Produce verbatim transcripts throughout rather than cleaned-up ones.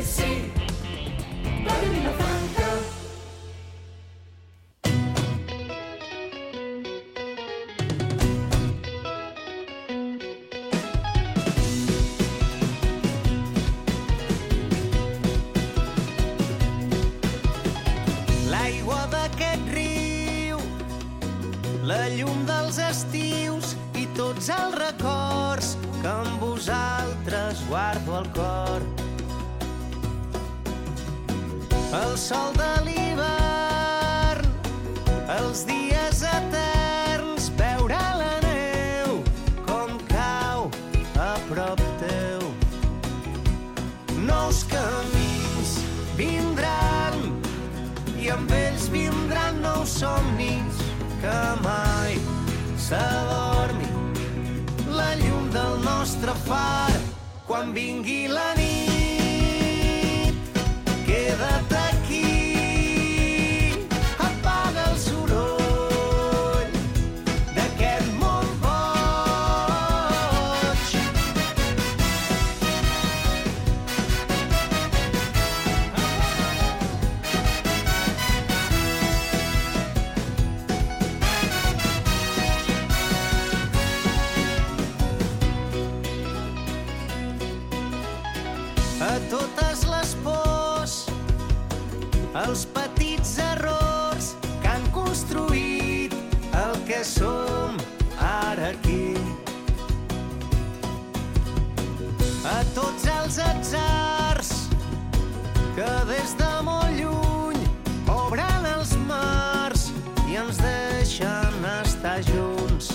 sí, la Vilafranca. L'aigua d'aquest riu, la llum dels estius i tots els records que amb vosaltres guardo al cor. El sol de l'hivern, els dies eterns, veure la neu com cau a prop teu. Nous camins vindran i amb ells vindran nous somnis que mai s'adormi la llum del nostre far. Quan vingui la nit, queda't aquí, apaga el soroll d'aquest món boig. A totes les pors, els petits errors que han construït el que som ara aquí. A tots els atzars que des de molt lluny obren els mars i ens deixen estar junts.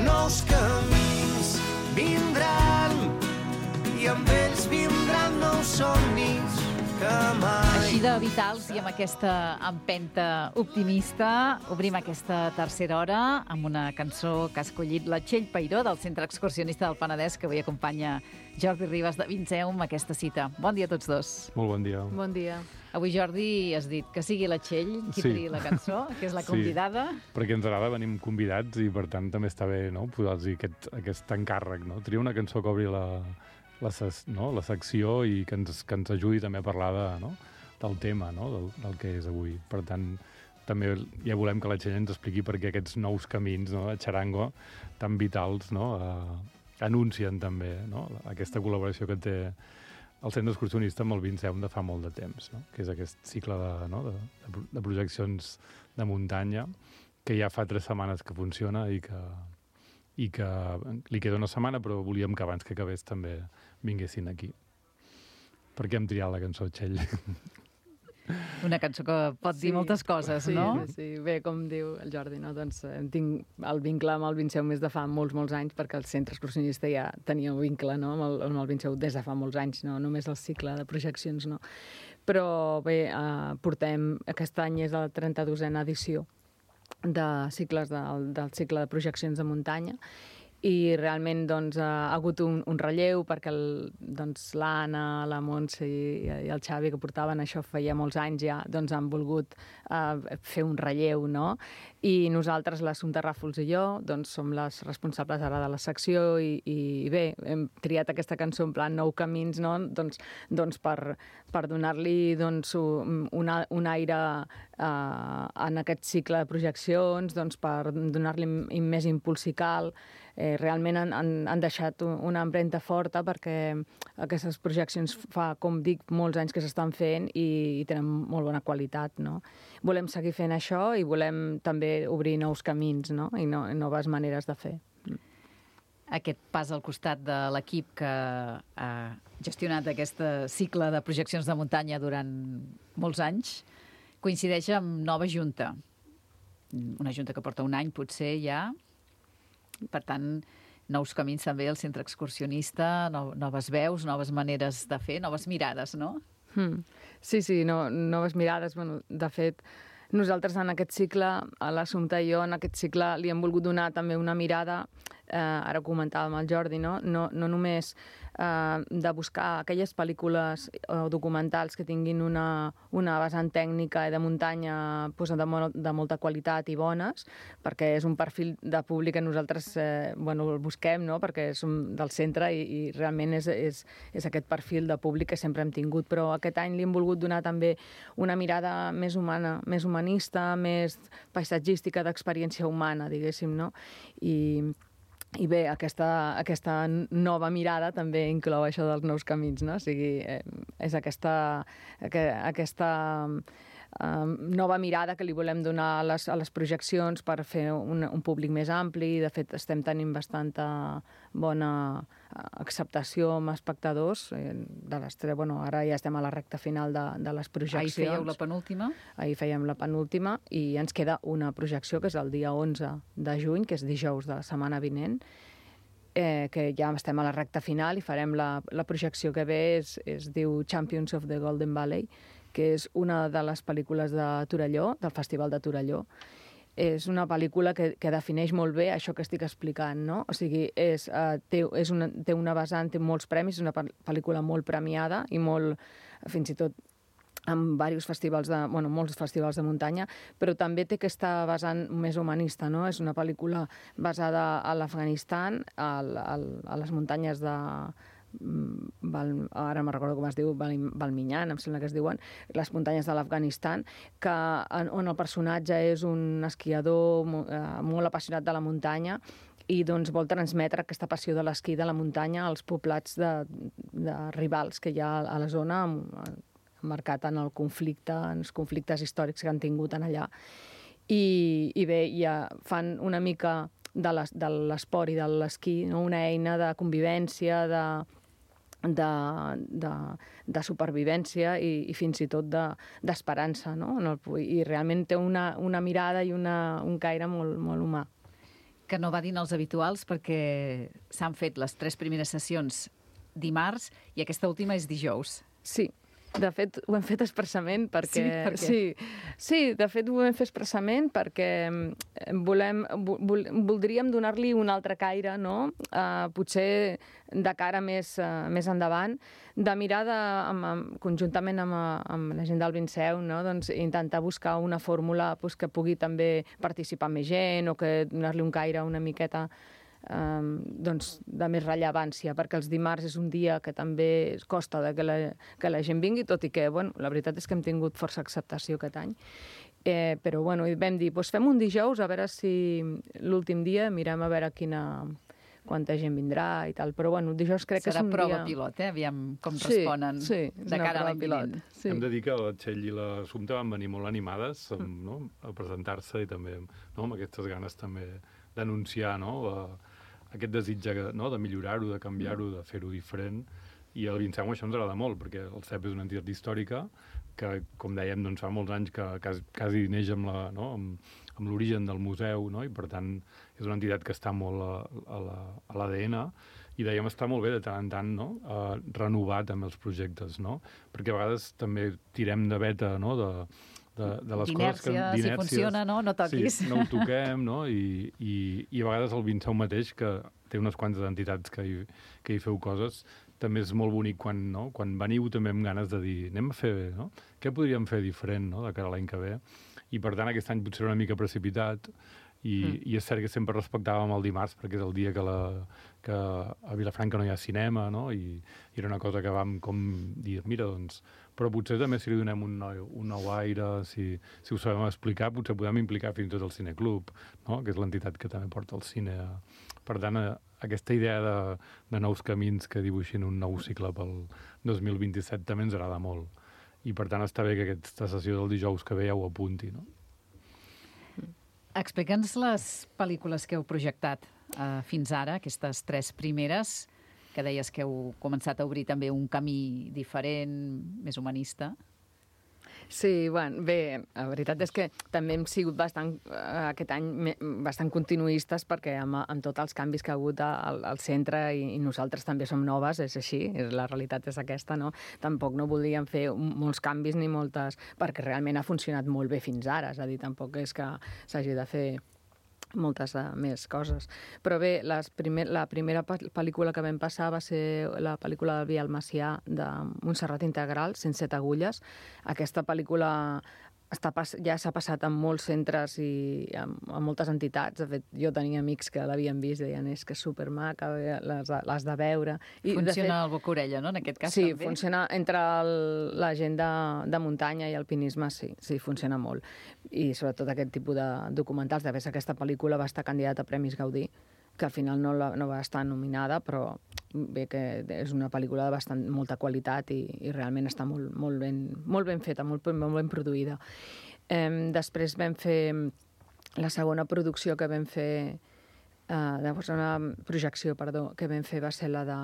Nous camins vindran i amb ells vindran nous somnis que mai... Així de vitals i amb aquesta empenta optimista obrim aquesta tercera hora amb una cançó que ha escollit la Txell Peiró del Centre Excursionista del Penedès, que avui acompanya Jordi Ribas de Vinceum a aquesta cita. Bon dia a tots dos. Molt bon dia. Bon dia. Avui, Jordi, has dit que sigui la Txell qui Sí. triï la cançó, que és la convidada. Sí, perquè ens agrada, venim convidats i per tant també està bé, no?, posar-los aquest, aquest encàrrec, no? Triar una cançó que obri la, la, ses, no? la secció i que ens, que ens ajudi també a parlar de, no? del tema, no? del, del que és avui. Per tant, també ja volem que la Txell ens expliqui per què aquests nous camins, no?, de xarango tan vitals, no?, eh, anuncien també, no?, aquesta col·laboració que té el Centre Excursionista amb el Vinceum de fa molt de temps, no?, que és aquest cicle de, no?, de, de projeccions de muntanya que ja fa tres setmanes que funciona i que, i que li queda una setmana, però volíem que abans que acabés també vinguessin aquí. Per què hem triat la cançó, Txell? Una cançó que pot dir Sí, moltes coses, sí, no? Sí, bé, com diu el Jordi, no? Doncs em tinc el vincle amb el Vinceum des de fa molts, molts anys, perquè el Centre Excursionista ja tenia un vincle, no?, amb el, amb el Vinceum des de fa molts anys, no només el cicle de projeccions, no. Però bé, eh, portem, aquest any és la trenta-dosena edició de cicles del, del cicle de projeccions de muntanya, i realment doncs, ha hagut un, un relleu perquè el, doncs, l'Anna, la Montse i, i el Xavi, que portaven això feia molts anys ja, doncs han volgut eh, fer un relleu, no? I nosaltres, l'Assumpta Ràfols i jo, doncs som les responsables ara de la secció i, i bé, hem triat aquesta cançó en plan Nou Camins, no? Doncs, doncs per, per donar-li doncs, un, un aire eh, en aquest cicle de projeccions, doncs, per donar-li més impuls si cal. Eh, realment han, han, han deixat una empremta forta perquè aquestes projeccions fa, com dic, molts anys que s'estan fent i, i tenen molt bona qualitat, no? Volem seguir fent això i volem també obrir nous camins, no?, i, no, i noves maneres de fer. Aquest pas al costat de l'equip que ha gestionat aquest cicle de projeccions de muntanya durant molts anys coincideix amb nova junta. Una junta que porta un any, potser, ja. Per tant, nous camins també al Centre Excursionista, no, noves veus, noves maneres de fer, noves mirades, no? Hmm. Sí, sí, no, noves mirades. Bueno, de fet, nosaltres en aquest cicle, a l'Assumpta i jo, en aquest cicle li hem volgut donar també una mirada eh, ara ho comentava amb el Jordi, no, no, no només eh, de buscar aquelles pel·lícules o documentals que tinguin una, una vessant tècnica i de muntanya pues, de, mo de molta qualitat i bones, perquè és un perfil de públic que nosaltres eh, bueno, el busquem, no? Perquè som del centre i, i realment és, és, és aquest perfil de públic que sempre hem tingut, però aquest any li hem volgut donar també una mirada més humana, més humanista, més paisatgística, d'experiència humana, diguéssim, no? I, i bé, aquesta, aquesta nova mirada també inclou això dels nous camins, no? O sigui, eh, és aquesta, aquesta eh, nova mirada que li volem donar a les, a les projeccions per fer un, un públic més ampli. De fet, estem tenint bastanta bona acceptació amb espectadors. De les tres, bueno, ara ja estem a la recta final de, de les projeccions. Ahir fèieu la penúltima? Ahir fèiem la penúltima i ens queda una projecció que és el dia onze de juny, que és dijous de la setmana vinent, eh, que ja estem a la recta final i farem la, la projecció que ve, és, es diu Champions of the Golden Valley, que és una de les pel·lícules de Torelló, del Festival de Torelló. És una pel·lícula que, que defineix molt bé això que estic explicant, no? O sigui, és, uh, té, és una, té una vessant, té molts premis, és una pel·lícula molt premiada i molt, fins i tot, amb diversos festivals de, bueno, molts festivals de muntanya, però també té aquesta vessant més humanista, no? És una pel·lícula basada a l'Afganistan, a, a, a les muntanyes de... Val, ara me'n recordo com es diu, Val, Valminyan, em sembla que es diuen, les muntanyes de l'Afganistan, que, on el personatge és un esquiador eh, molt apassionat de la muntanya i doncs vol transmetre aquesta passió de l'esquí de la muntanya als poblats de, de rivals que hi ha a la zona, marcat en el conflicte, en els conflictes històrics que han tingut en allà. I, i bé, ja fan una mica de l'esport i de l'esquí, no? Una eina de convivència, de De, de, de supervivència i, i fins i tot d'esperança, de, no? I realment té una, una mirada i una, un caire molt, molt humà. Que no va dir els habituals perquè s'han fet les tres primeres sessions dimarts i aquesta última és dijous. Sí. De fet, ho hem fet expressament perquè... Sí, per què? Sí, sí, de fet ho hem fet expressament perquè volem, vol, voldríem donar-li un altre caire, no? Uh, potser de cara més, uh, més endavant, de mirar de, amb, amb, conjuntament amb, amb la gent del Vinceu, no? Doncs intentar buscar una fórmula pues, que pugui també participar més gent o que donar-li un caire una miqueta Um, doncs, de més rellevància, perquè els dimarts és un dia que també costa de que, la, que la gent vingui, tot i que, bueno, la veritat és que hem tingut força acceptació aquest any. Eh, però, bueno, vam dir, doncs fem un dijous, a veure si l'últim dia mirem a veure quina, quanta gent vindrà i tal. Però, bueno, dijous crec Serà que és un dia... Serà prova pilot, eh? Aviam com sí, responen sí, de cara a l'any vinent. Sí. Hem de dir que la Txell i l'Assumpta van venir molt animades amb, no? a presentar-se i també no? amb aquestes ganes també d'anunciar no? la, aquest desig no? de millorar-ho, de canviar-ho, de fer-ho diferent. I al Vinceu això ens agrada molt, perquè el C E P és una entitat històrica que, com dèiem, doncs, fa molts anys que quasi, quasi neix amb la, no? amb, amb l'origen del museu, no? I per tant és una entitat que està molt a, a l'A D N, i dèiem està molt bé de tant en tant no? uh, renovar també els projectes, no? Perquè a vegades també tirem de veta no? de, de, de les coses que... D'inèrcia, si funciona, no? No toquis. Sí, no ho toquem, no? I, i, i a vegades el Vinceu mateix, que té unes quantes entitats que hi, que hi feu coses, també és molt bonic quan, no? quan veniu també amb ganes de dir anem a fer, no? Què podríem fer diferent no? de cara a l'any que ve? I per tant aquest any potser una mica precipitat i, mm. i és cert que sempre respectàvem el dimarts perquè és el dia que, la, que a Vilafranca no hi ha cinema, no? I, i era una cosa que vam com dir, mira, doncs, però potser també si li donem un nou, un nou aire, si, si ho sabem explicar, potser podem implicar fins i tot el Cineclub, no? Que és l'entitat que també porta el cine. Per tant, aquesta idea de, de nous camins que dibuixin un nou cicle pel dos mil vint-i-set també ens agrada molt. I per tant està bé que aquesta sessió del dijous que ve ja ho apunti, no? Explica'ns les pel·lícules que heu projectat uh, fins ara, aquestes tres primeres, que deies que heu començat a obrir també un camí diferent, més humanista. Sí, bueno, bé, la veritat és que també hem sigut bastant, eh, aquest any bastant continuistes perquè amb, amb tots els canvis que ha hagut al, al centre i, i nosaltres també som noves, és així, la realitat és aquesta, no? Tampoc no volíem fer molts canvis ni moltes, perquè realment ha funcionat molt bé fins ara, és a dir, tampoc és que s'hagi de fer moltes uh, més coses. Però bé, les primer, la primera pel·lícula que vam passar va ser la pel·lícula del Biel Macià de Montserrat Integral, cent set agulles. Aquesta pel·lícula està pas, ja s'ha passat en molts centres i en, en moltes entitats. De fet, jo tenia amics que l'havien vist i deien és que és supermaca, l'has de veure. I, funciona de fet, el boca-orella, no?, en aquest cas sí, també. Sí, funciona entre el, la gent de, de muntanya i alpinisme, sí, sí, funciona molt. I sobretot aquest tipus de documentals. De fet, aquesta pel·lícula va estar candidata a Premis Gaudí, que al final no, la, no va estar nominada, però bé que és una pel·lícula de bastant, molta qualitat i, i realment està molt, molt, ben, molt ben feta, molt, molt ben produïda. Eh, després vam fer la segona producció que vam fer, eh, llavors una projecció, perdó, que vam fer va ser la de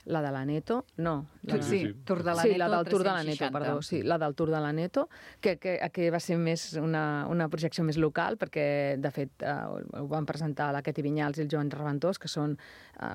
la de l'Aneto, no. La Sí, de... sí, sí. Tour de l'Aneto, sí, la del Tour de tres-cents l'Aneto, seixanta. perdó, sí, la del Tour de l'Aneto, que, que, que va ser més una, una projecció més local, perquè, de fet, eh, ho van presentar la Queti Vinyals i el Joan Reventós, que són... Eh,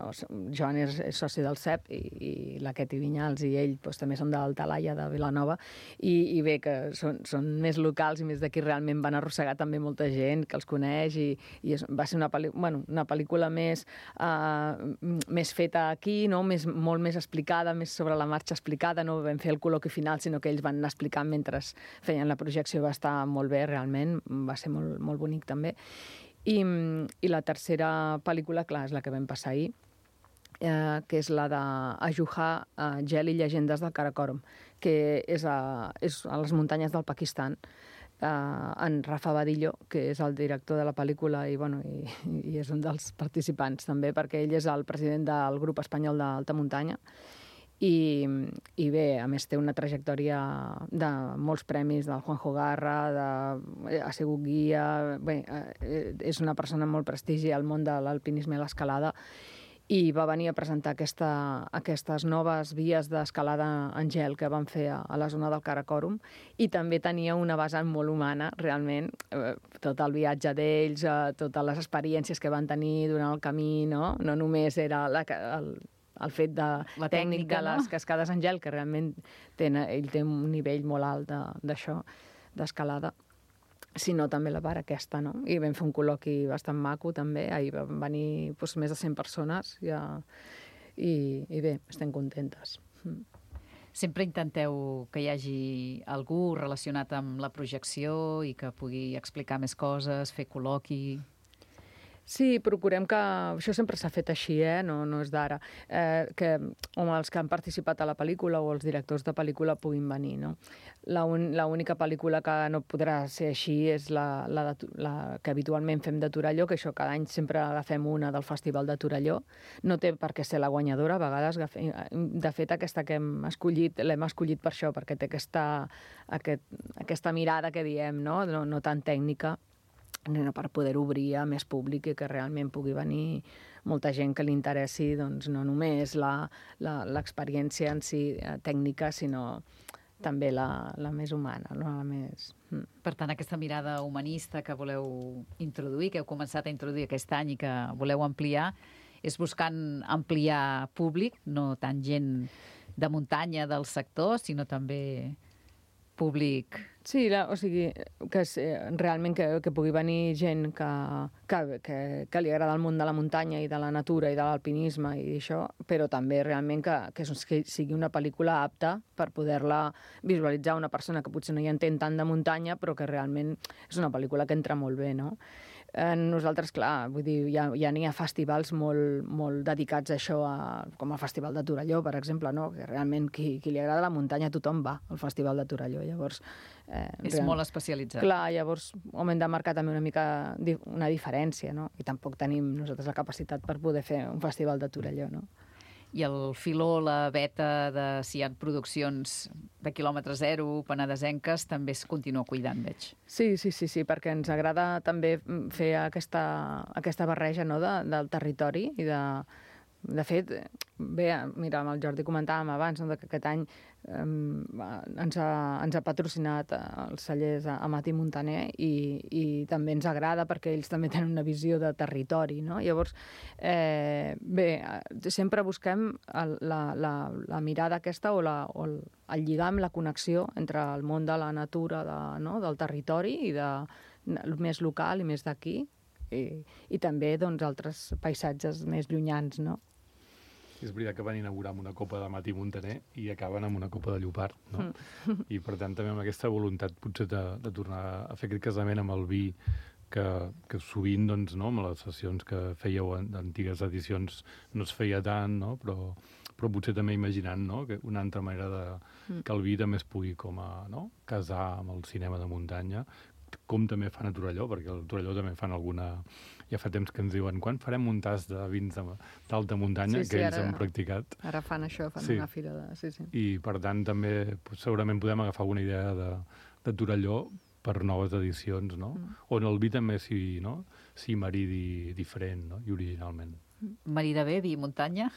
Joan és, és soci del C E P i, i la Queti Vinyals i ell doncs, també són del Talaia, de Vilanova, i, i bé, que són, són més locals i més d'aquí realment van arrossegar també molta gent que els coneix i, i és, va ser una, pel·li, bueno, una pel·lícula més, eh, més feta aquí, no? Més, molt més explicada, més sobre la marxa explicada, no vam fer el col·loqui final, sinó que ells van anar explicant mentre feien la projecció. Va estar molt bé, realment, va ser molt, molt bonic també. I, i la tercera pel·lícula, clar, és la que vam passar ahir, eh, que és la d'Ajuha, eh, Gel i llegendes del Karakorum, que és a, és a les muntanyes del Pakistan. Uh, en Rafa Badillo, que és el director de la pel·lícula i, bueno, i, i és un dels participants també, perquè ell és el president del grup espanyol d'alta muntanya i, i bé, a més té una trajectòria de molts premis del Juanjo Garra, de, ha sigut guia, bé, eh, és una persona amb molt prestigi al món de l'alpinisme i l'escalada i va venir a presentar aquesta, aquestes noves vies d'escalada en gel que van fer a, a la zona del Karakorum i també tenia una vessant molt humana, realment, eh, tot el viatge d'ells, eh, totes les experiències que van tenir durant el camí, no? No només era la, el, el fet de la tècnic tècnica, de no? les cascades en gel, que realment ten, ell té un nivell molt alt d'això, de, d'escalada, sinó també la part aquesta, no? I vam fer un col·loqui bastant maco, també. Ahir van venir doncs, més de cent persones ja, i, i bé, estem contentes. Sempre intenteu que hi hagi algú relacionat amb la projecció i que pugui explicar més coses, fer col·loqui... Sí, procurem que... Això sempre s'ha fet així, eh? No, no és d'ara. Eh, que home, els que han participat a la pel·lícula o els directors de pel·lícula puguin venir, no? L'única pel·lícula que no podrà ser així és la, la, de, la que habitualment fem de Torelló, que això cada any sempre agafem una del Festival de Torelló. No té per què ser la guanyadora, a vegades... De fet, aquesta que hem escollit, l'hem escollit per això, perquè té aquesta, aquest, aquesta mirada que diem, no? No, no tan tècnica, per poder obrir a més públic i que realment pugui venir molta gent que li interessi doncs, no només l'experiència en si tècnica, sinó també la, la més humana, no? La més... Per tant, aquesta mirada humanista que voleu introduir, que heu començat a introduir aquest any i que voleu ampliar, és buscant ampliar públic, no tant gent de muntanya del sector, sinó també públic... Sí, la, o sigui, que és, realment que, que pugui venir gent que, que, que, que li agrada el món de la muntanya i de la natura i de l'alpinisme i això, però també realment que, que, que sigui una pel·lícula apta per poder-la visualitzar una persona que potser no hi entén tant de muntanya, però que realment és una pel·lícula que entra molt bé, no? Eh, nosaltres, clar, vull dir, ja, ja n'hi ha festivals molt, molt dedicats a això, a, com el Festival de Torelló, per exemple, no? Que realment qui, qui li agrada la muntanya, tothom va al Festival de Torelló. Llavors, eh, és real... molt especialitzat. Clar, llavors hem de marcar també una mica di una diferència, no? I tampoc tenim nosaltres la capacitat per poder fer un Festival de Torelló, no? I el filó, la beta de si hi ha produccions de quilòmetre zero, penedesenques, també es continua cuidant, veig. Sí, sí, sí, sí, perquè ens agrada també fer aquesta, aquesta barreja, no, de, del territori i de... De fet, bé, mira, amb el Jordi comentàvem abans, no, que aquest any eh, ens, ha, ens ha patrocinat els cellers Amat i Montaner i, i també ens agrada perquè ells també tenen una visió de territori, no? Llavors, eh, bé, sempre busquem el, la, la, la mirada aquesta o, la, o el, el lligam, la connexió entre el món de la natura, de, no, del territori i de, el més local i més d'aquí, I, i també doncs, altres paisatges més llunyans, no? És veritat que van inaugurar amb una copa de Mati Montaner i acaben amb una copa de Llopart, no? Mm. I per tant també amb aquesta voluntat potser de, de tornar a fer aquest casament amb el vi que, que sovint, doncs, no, amb les sessions que fèieu en antigues edicions no es feia tant, no? Però, però potser també imaginant, no?, que una altra manera de, que el vi també es pugui com a, no?, casar amb el cinema de muntanya, com també fan a Torelló, perquè a Torelló també fan alguna... Ja fa temps que ens diuen quan farem un tas de vins d'alta muntanya, Sí, sí, que ells ara- han practicat. Ara fan això, fan Sí. una fira de... Sí, sí. I, per tant, també pues, segurament podem agafar alguna idea de, de Torelló per noves edicions, no? Mm. On el vi també s'hi, no? s'hi maridi diferent, no? I originalment. Marida bé, vi i muntanya.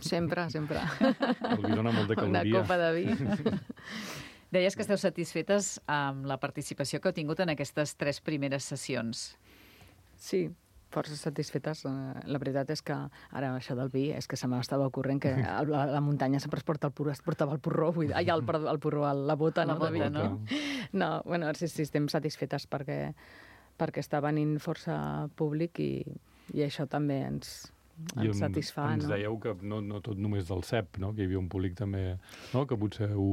Sempre, sempre. El vi dona molta Una caloria. copa de vi. Deies que esteu satisfetes amb la participació que heu tingut en aquestes tres primeres sessions. Sí, força satisfetes. Eh, La veritat és que ara això del vi és que se m'estava ocorrent que a la, la muntanya sempre es porta el porró, es portava el porró, vull dir, ai, el, perdó, el porró, el- la bota, La no, bota, de vi. no? No, bueno, sí, sí, estem satisfetes perquè, perquè està venint força públic i, i això també ens, I ens satisfà, ens no? dèieu que no, no tot només del C E P, no? Que hi havia un públic també, no? Que potser ho...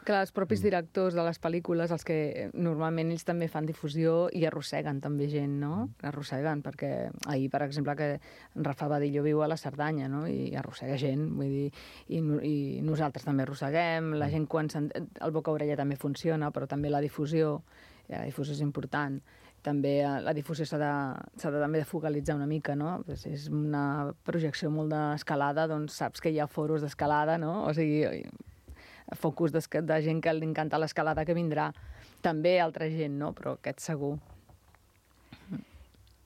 Clar, els propis Mm. directors de les pel·lícules, els que eh, normalment ells també fan difusió i arrosseguen també gent, no? Mm. Arrosseguen, perquè ahir, per exemple, que en Rafa Badillo viu a la Cerdanya, no? I arrossega gent, vull dir, i, no- i nosaltres també arrosseguem, Mm. la gent quan s'ent- el boca-orella també funciona, però també la difusió, i la difusió és important. També eh, la difusió s'ha de, s'ha de també de focalitzar una mica, no? Pues és una projecció molt d'escalada, doncs saps que hi ha foros d'escalada, no? O sigui, focus de, de gent que li encanta l'escalada que vindrà. També altra gent, no? Però aquest segur.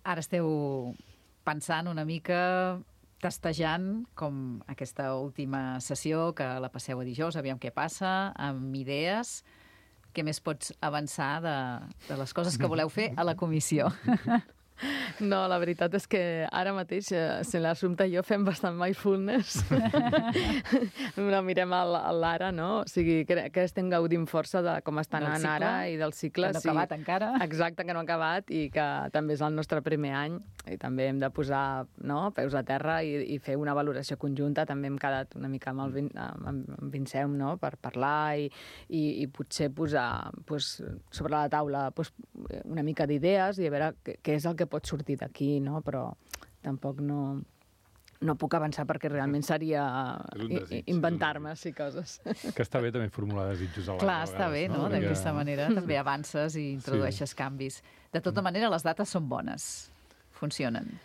Ara esteu pensant una mica, testejant com aquesta última sessió, que la passeu a dijous, aviam què passa, amb idees. Què més pots avançar de, de les coses que voleu fer a la comissió? No, la veritat és que ara mateix, eh, si l'Assumpta i jo fem bastant mindfulness. No, mirem a l- a l'ara, no? O sigui, que, que estem gaudint força de com està Del anant cicle, ara i del cicle. que no ha acabat encara. Exacte, que no ha acabat i que també és el nostre primer any i també hem de posar, no, peus a terra i, i fer una valoració conjunta. També hem quedat una mica amb el Vin, amb, amb Vincent, no?, per parlar i, i, i potser posar pues, sobre la taula pues, una mica d'idees i a veure què, què és el que pot sortir d'aquí, no? Però tampoc no, no puc avançar perquè realment seria És un i- desig, i- inventar-me, sí, coses. Que està bé també formular desitjos a l'any. Clar, a està bé, vegades, no? Perquè- D'aquesta manera també avances i introdueixes canvis. De tota manera, les dates són bones. Funcionen.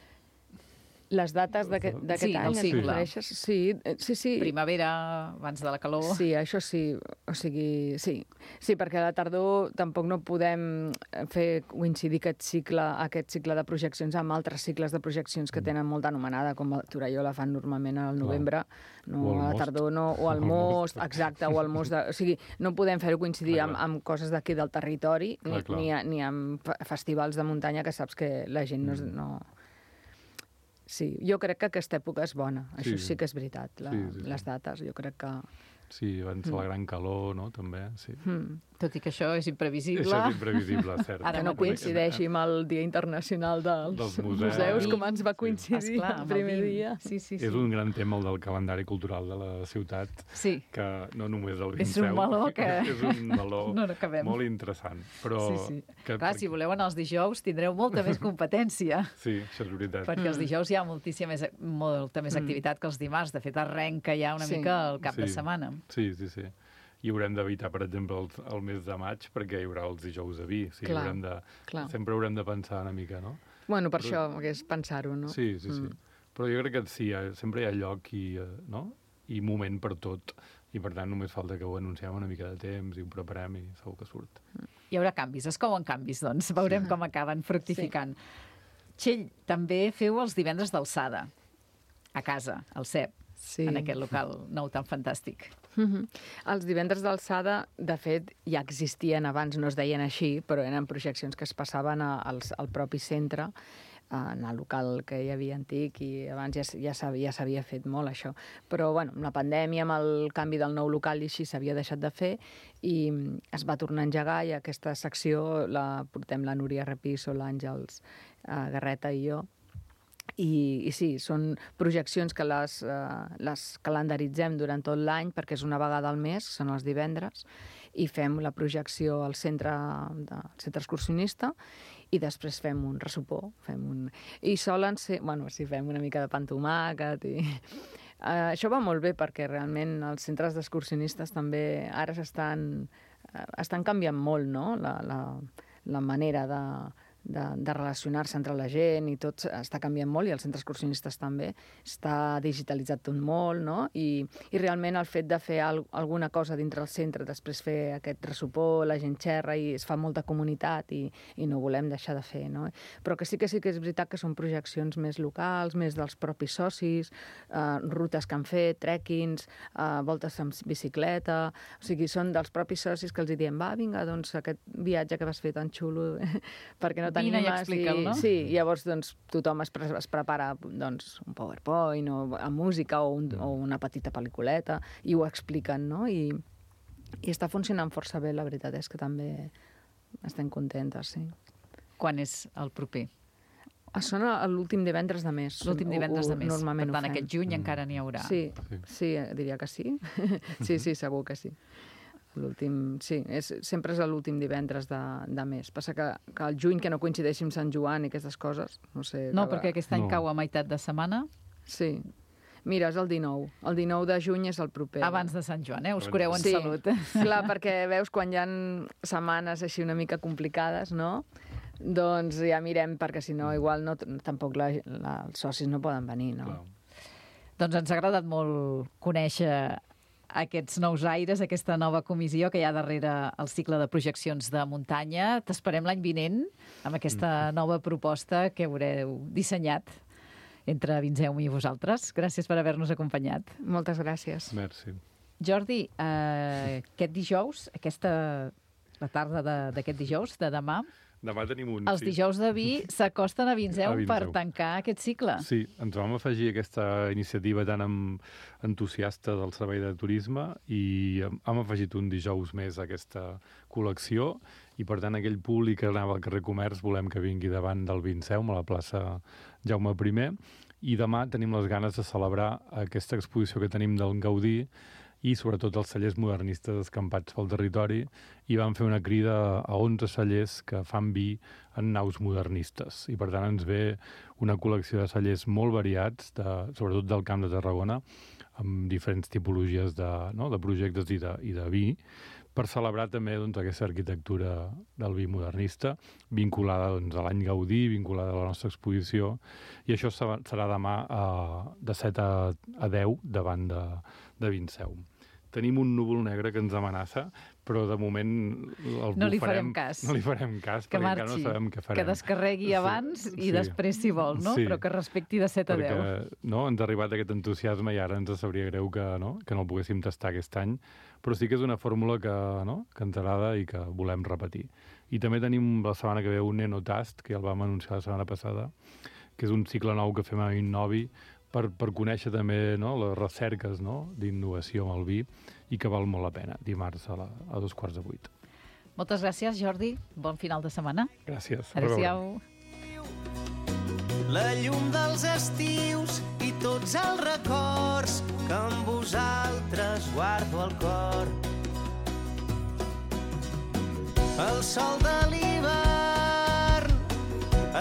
Les dates d'aquest d'aquest Sí, any, del et cicle. refereixes? Sí, eh, sí, sí. Primavera, abans de la calor. Sí, això sí. O sigui, sí. Sí, perquè a la tardor tampoc no podem fer coincidir aquest cicle, aquest cicle de projeccions amb altres cicles de projeccions que tenen molta anomenada, com a Torelló la fan normalment al novembre, no, O al a la Most. tardor no, o al O al Most, Most. exacte, o al Most. De, o sigui, no podem fer-ho coincidir Clar, amb, clar. amb coses d'aquí del territori, Clar, ni, clar. ni, a- ni amb fe- festivals de muntanya que saps que la gent no... és- Mm. no... Sí, jo crec que aquesta època és bona. Això Sí. sí que és veritat, la, Sí, sí, sí. les dates. Jo crec que... Sí, abans de la gran calor, no?, també, sí. Hmm. Tot i que això és imprevisible. Això és imprevisible, cert. Ara Que no mateix. coincideixi amb el Dia Internacional dels, Dels museus, museus. com ens va coincidir Esclar, el amb primer vint. dia. Sí, sí, sí. És un gran tema, el del calendari cultural de la ciutat, Sí. que no només el És un Vinceu, meló que- és un meló No n'acabem. molt interessant. Però Sí, sí. Que, Clar, si voleu anar els dijous tindreu molta més competència, Sí, això és veritat. perquè els dijous hi ha moltíssima més, molta més activitat que els dimarts. De fet, arrenca ja una Sí. mica el cap de Sí. setmana. Sí, sí, sí. I haurem d'evitar, per exemple, el, el mes de maig, perquè hi haurà els dijous de vi. O sigui, Clar, haurem de, clar. sempre haurem de pensar una mica, no? Bueno, per Però- això, que és pensar-ho, no? Sí, sí, sí. Mm. Però jo crec que sí, eh, sempre hi ha lloc i, eh, no? i moment per tot. I, per tant, només falta que ho anunciem una mica de temps i ho preparem i segur que surt. Hi haurà canvis, es couen canvis, doncs. Veurem com acaben fructificant. Txell, també feu els divendres d'alçada, a casa, al C E P, Sí. en aquest local nou tan fantàstic. Mhm. Els divendres d'alçada, de fet, ja existien abans, no es deien així, però eren projeccions que es passaven a, als, al propi centre, en el local que hi havia antic, i abans ja, s- ja s'havia ja s'havia fet molt, això. Però, bueno, amb la pandèmia, amb el canvi del nou local i així, s'havia deixat de fer, i mm, es va tornar a engegar, i aquesta secció la portem la Núria Repiso, l'Àngels uh, Garreta i jo. I, i sí, són projeccions que les, uh, les calendaritzem durant tot l'any perquè és una vegada al mes, són els divendres, i fem la projecció al centre, de, al centre excursionista i després fem un ressopó. Fem un... I solen ser... Bueno, sí, fem una mica de pa amb tomàquet i... Uh, això va molt bé perquè realment els centres d'excursionistes també ara s'estan uh, estan canviant molt, no? La, la, la manera de... De, de relacionar-se entre la gent i tot està canviant molt, i els centres excursionistes també. Està digitalitzat tot molt, no? I, i realment el fet de fer al, alguna cosa dintre el centre, després fer aquest ressopó, la gent xerra i es fa molta comunitat i, i no volem deixar de fer, no? Però que sí que sí que és veritat que són projeccions més locals, més dels propis socis, eh, rutes que han fet, trekkings, eh, voltes amb bicicleta, o sigui, són dels propis socis que els diem, va, vinga, doncs aquest viatge que vas fer tan xulo, perquè no Vine i explica'l, no? Sí, llavors doncs, tothom es, pre es prepara doncs, un PowerPoint o amb música o, un, o una petita pel·lículeta i ho expliquen, no? I, i està funcionant força bé, la veritat és que també estem contentes, sí. Quan és el proper? Són l'últim divendres de mes. L'últim divendres de mes. Normalment per tant, ho fem. aquest juny mm. encara n'hi haurà. Sí, sí, diria que sí. sí, sí, segur que sí. L'últim, sí, és, sempre és l'últim divendres de, de mes. Passa que, que el juny, que no coincideixi amb Sant Joan i aquestes coses, no sé... No, cada... perquè aquest any no. cau a meitat de setmana. Sí. Mira, és el dinou. El dinou de juny és el proper. Abans de Sant Joan, eh? Us cureu en sí. salut. Clar, perquè veus, quan hi ha setmanes així una mica complicades, no? Doncs ja mirem, perquè si no, igual no, tampoc la, la, els socis no poden venir, no? Clar. Doncs ens ha agradat molt conèixer aquests nous aires, aquesta nova comissió que hi ha darrere el cicle de projeccions de muntanya. T'esperem l'any vinent amb aquesta nova proposta que haureu dissenyat entre Vinceum i vosaltres. Gràcies per haver-nos acompanyat. Moltes gràcies. Merci. Jordi, eh, aquest dijous, aquesta, la tarda d'aquest dijous, de demà, Demà tenim un... els sí. dijous de vi s'acosten a Vinceum, A Vinceum per tancar aquest cicle. Sí, ens vam afegir aquesta iniciativa tan amb entusiasta del Servei de Turisme i hem afegit un dijous més a aquesta col·lecció i, per tant, aquell públic que anava al carrer Comerç volem que vingui davant del Vinceum, a la plaça Jaume primer, i demà tenim les ganes de celebrar aquesta exposició que tenim del Gaudí i sobretot els cellers modernistes escampats pel territori, i van fer una crida a onze cellers que fan vi en naus modernistes. I per tant ens ve una col·lecció de cellers molt variats, de, sobretot del Camp de Tarragona, amb diferents tipologies de, no, de projectes i de, i de vi, per celebrar també doncs, aquesta arquitectura del vi modernista, vinculada doncs, a l'any Gaudí, vinculada a la nostra exposició, i això serà demà a, de set a, a deu davant de, de Vinceum. Tenim un núvol negre que ens amenaça, però de moment el no li farem, farem cas. No li farem cas, que perquè marxi, encara no sabem què farem. Que descarregui abans sí, i sí. després, si vol, no? Sí. Però que respecti de set a deu. Perquè no, ens ha arribat aquest entusiasme i ara ens sabria greu que no, que no el poguéssim tastar aquest any, però sí que és una fórmula que, no, que ens agrada i que volem repetir. I també tenim la setmana que ve un Enotast, que ja el vam anunciar la setmana passada, que és un cicle nou que fem a Innovi, per, per conèixer també no, les recerques no, d'innovació amb el vi i que val molt la pena, dimarts a, la, a dos quarts de vuit. Moltes gràcies, Jordi. Bon final de setmana. Gràcies. Adéu-siau. La llum dels estius i tots els records que amb vosaltres guardo al cor. El sol de l'hivern,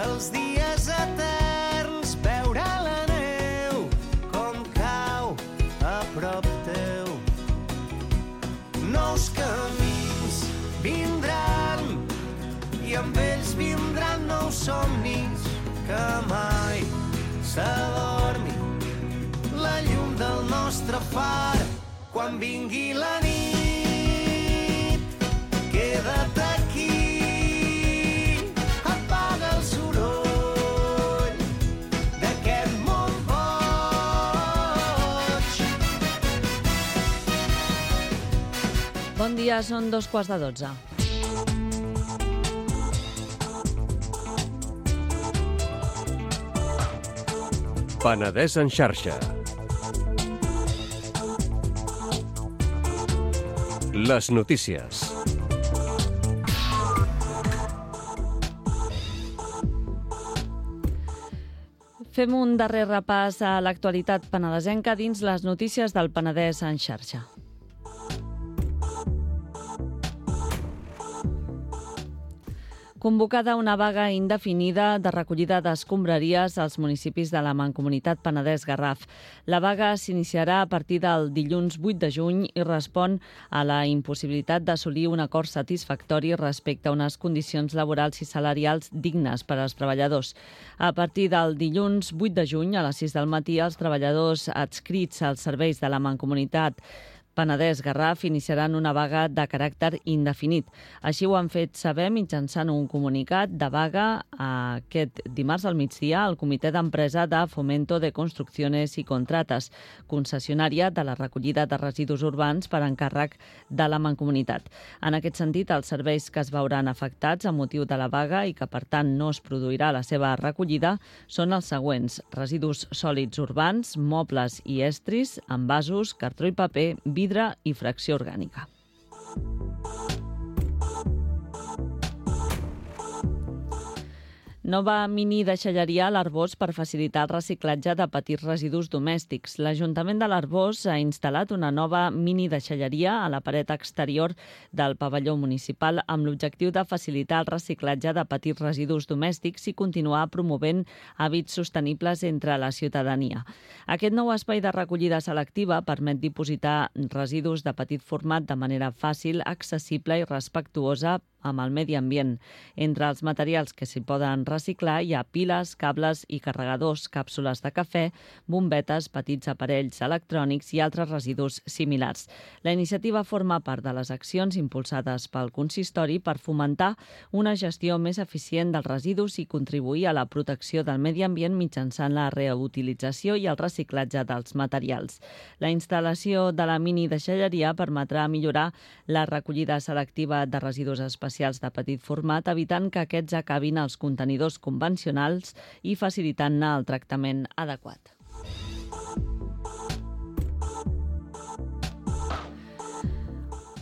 els dies eterns, veure la neu com cau a prop teu. Nous camins vindran i amb ells vindran nous somnis que mai s'adormi la llum del nostre far. Quan vingui la nit, queda't aquí, apaga el soroll d'aquest món boig. Bon dia, són dos quarts de dotze. Penedès en xarxa. Les notícies. Fem un darrer repàs a l'actualitat penedesenca dins les notícies del Penedès en xarxa. Convocada una vaga indefinida de recollida d'escombraries als municipis de la Mancomunitat Penedès-Garraf. La vaga s'iniciarà a partir del dilluns vuit de juny i respon a la impossibilitat d'assolir un acord satisfactori respecte a unes condicions laborals i salarials dignes per als treballadors. A partir del dilluns vuit de juny a les sis del matí, els treballadors adscrits als serveis de la Mancomunitat Penedès-Garraf iniciaran una vaga de caràcter indefinit. Així ho han fet saber mitjançant un comunicat de vaga aquest dimarts al migdia al Comitè d'Empresa de Fomento de Construcciones i Contrates, concessionària de la recollida de residus urbans per encàrrec de la Mancomunitat. En aquest sentit, els serveis que es veuran afectats a motiu de la vaga i que, per tant, no es produirà la seva recollida són els següents: residus sòlids urbans, mobles i estris, envasos, cartró i paper, vidre i fracció orgànica. Nova mini deixalleria a l'Arboç per facilitar el reciclatge de petits residus domèstics. L'Ajuntament de l'Arboç ha instal·lat una nova mini deixalleria a la paret exterior del pavelló municipal amb l'objectiu de facilitar el reciclatge de petits residus domèstics i continuar promovent hàbits sostenibles entre la ciutadania. Aquest nou espai de recollida selectiva permet dipositar residus de petit format de manera fàcil, accessible i respectuosa amb el medi ambient. Entre els materials que s'hi poden reciclar hi ha piles, cables i carregadors, càpsules de cafè, bombetes, petits aparells electrònics i altres residus similars. La iniciativa forma part de les accions impulsades pel consistori per fomentar una gestió més eficient dels residus i contribuir a la protecció del medi ambient mitjançant la reutilització i el reciclatge dels materials. La instal·lació de la mini deixalleria permetrà millorar la recollida selectiva de residus especials de petit format, evitant que aquests acabin als contenidors convencionals i facilitant-ne el tractament adequat.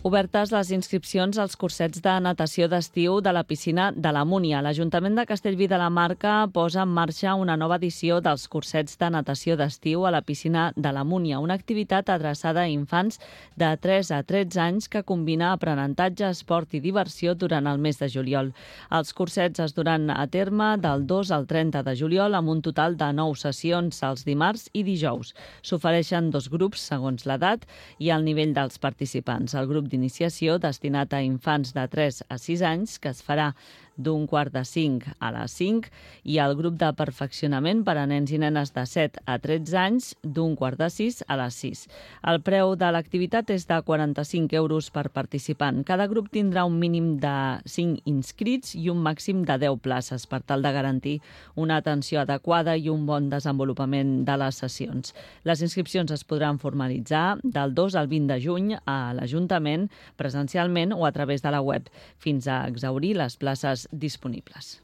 Obertes les inscripcions als cursets de natació d'estiu de la piscina de la Múnia. L'Ajuntament de Castellví de la Marca posa en marxa una nova edició dels cursets de natació d'estiu a la piscina de la Múnia, una activitat adreçada a infants de tres a tretze anys que combina aprenentatge, esport i diversió durant el mes de juliol. Els cursets es duran a terme del dos al trenta de juliol amb un total de nou sessions els dimarts i dijous. S'ofereixen dos grups segons l'edat i el nivell dels participants. El grup d'iniciació destinat a infants de tres a sis anys, que es farà d'un quart de cinc a les cinc, i el grup de perfeccionament per a nens i nenes de set a tretze anys, d'un quart de sis a les sis. El preu de l'activitat és de quaranta-cinc euros per participant. Cada grup tindrà un mínim de cinc inscrits i un màxim de deu places per tal de garantir una atenció adequada i un bon desenvolupament de les sessions. Les inscripcions es podran formalitzar del dos al vint de juny a l'Ajuntament, presencialment o a través de la web, fins a exhaurir les places disponibles.